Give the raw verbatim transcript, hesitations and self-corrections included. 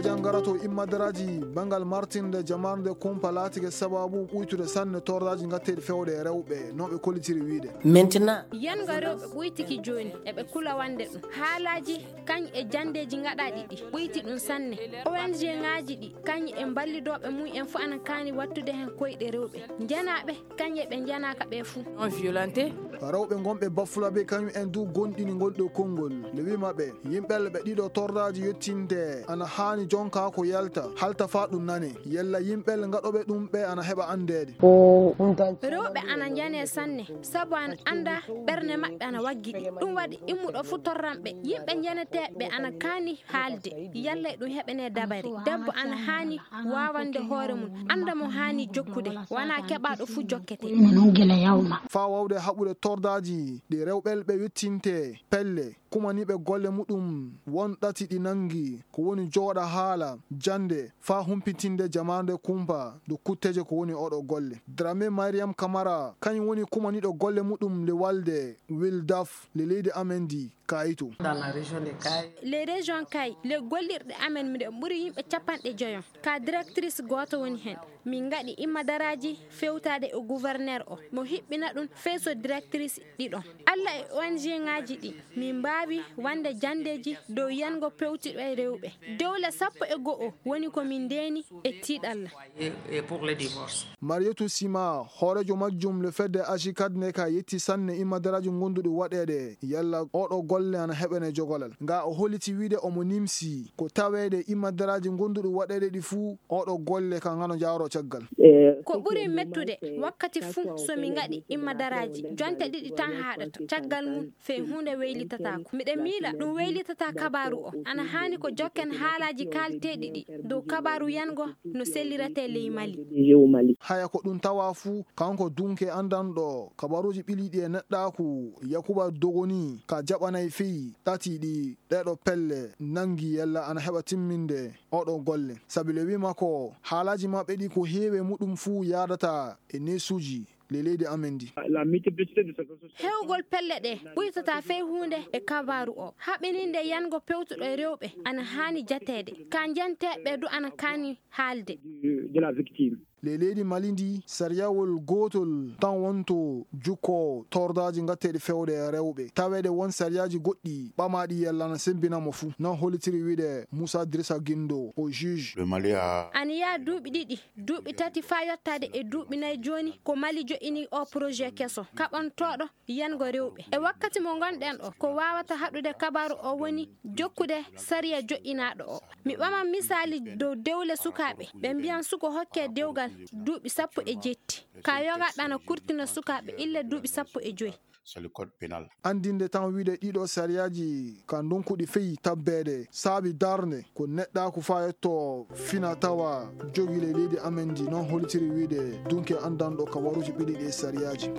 Janngarato immadaraaji banngal martinde jamaarde kumpa laatike sababu ɓuytude sanne tordaaji ngatteeɗi fewde e rewɓe, no ɓe kollitiri wiyde. Maintenant, yanga rewɓe ɓuytiki jooni, eɓe kula wande ɗum. Haalaaji kañ e janndeeji ngaɗaaɗi ɗi ɓuyti ɗum sanne. O N G ŋaaji ɗi kañ e mballidooɓe mum en fof ana kaani wattude heen koyɗe rewɓe. Njanaaɓe kañ e ɓe njanaaka ɓe fuu. Non violenté. Rewɓe ngonɓe Bafulabe kañum en du gonɗini ngol ɗo konngol. Le huit maɓɓe, yimɓe ɓe ɗiɗo tordaaji yettinte ana haani jonka ko yalta, halta faa ɗum nane. Yalla yimɓe ngaɗooɓe ɗum ɓe ana heɓa anndeede. Rewɓe ana njane sanne, sabu ana annda ɓerne maɓɓe ana waggiɗi. Ɗum waɗi immuɗo fuu torran ɓe. Yimɓe njaneteeɓe ana kaani haalde, yalla e ɗum heɓene dabare. Debbo ana haani waawande hoore mum, annda mo haani jokkude, wonaa keɓaaɗo fuu jokkete. Faa waawde haɓude tordaaji ɗi rewɓe ɓe yettinte, pelle, kumaniiɓe golle muɗum won ɗati ɗi nanngi, ko woni jooɗa haala, jannde, faa humpitinde jamaande kumpa, do kutteje ko woni oɗo golle. Dramé Mariam Kamara, kañum woni kumaniiɗo golle muɗum le walde Wildaf le leydi amen ndi, Kayito. Dans la région de Kayes. Les régions Kayes, le gollirɗe amen miɗen ɓuri yimɓe capanɗe joyo. Ka directrice gooto woni heen. Min ngaɗi immadaraaji fewtaade e gouverneur o. Mo hiɓɓina ɗum fee so directrice ɗiɗon. Alla e O N G ŋaaji ɗi, min mbaawi wande janndeeji dow yango pewtiɗo e rewɓe. Dewle sappo e go'o woni ko min ndeeni e tiiɗalla. Et, et pour le divorce. Marietou Sima, hooreejo majjum le fedde Agicad neka yetti sanne immadaraaji ngonduɗi waɗeede yalla oɗo golle ana heɓene jogolal. Nga o holliti wiide omo nimsi ko taweede immadaraaji ngonduɗi waɗeede ɗi fuu oɗo golle ka ngano jaaro caggal. Ko ɓuri mettude wakkati fuu so mi ngaɗi immadaraaji jonte ɗiɗi tan haaɗata. Caggal mum fee huunde weylitataako. Miɗa miila ɗum weylitata kabaaru o. Ana haani ko jokken haalaaji kaalteeɗi ɗi dow kabaaru yango no selliretee ley Mali. Haya ko ɗum tawa fuu, kanko dunke anndanɗo kabaruuji ɓiliiɗi e neɗɗaaku Yakuba Dogoni ka jaɓanay fii ɗati ɗi ɗeɗo pelle nanngi yalla ana heɓa timminde oɗo golle. Sabi le wiima ko haalaaji maɓɓe ɗi ko heewe muɗum fuu yaadata e neesuuji le leydi amen ndi. La multiplicité de ces associations. Hewgol pelle ɗe ɓuytata fey huunde e kabaaru o. Haɓininde yango pewtuɗo e rewɓe ana haani jateede. Ka njanteeɓe du ana kaani haalde. De, de la victime. Le leydi Mali ndi, sariyawol gootol tan wonto jukko tordaaji ngatteeɗi fewde e rewɓe. Taweede won sariyaaji goɗɗi ɓamaaɗi yalla na sembina mo fuu. Non hollitiri wiide Moussa Drissa Guindo, o juge. Le Mali a. Ana yaa duuɓi ɗiɗi, duuɓi tati faa yottaade e duuɓi nayi jooni ko Mali joƴƴini o projet keso kaɓantooɗo yango rewɓe. E wakkati mo ngonɗen o, ko waawata haɗude kabaaru o woni jokkude sariya joƴƴinaaɗo o. Mi ɓaman misaali dow dewle sukaaɓe, ɓe mbiyan suko hokke dewgal duuɓi sappo e jeetti. Ka yoga ɗana kurtina sukaaɓe illa duuɓi sappo e joy. Sur le code pénal. Anndinde tan wiide ɗiɗo sariyaaji ka ndonkuɗi fey tabbeede saabi darnde ko neɗɗaaku faa yetto fina tawa jogii le leydi amen ndi, non hollitiri wiide dunke anndanɗo kabaruuji ɓiɗi ɗi sariyaaji.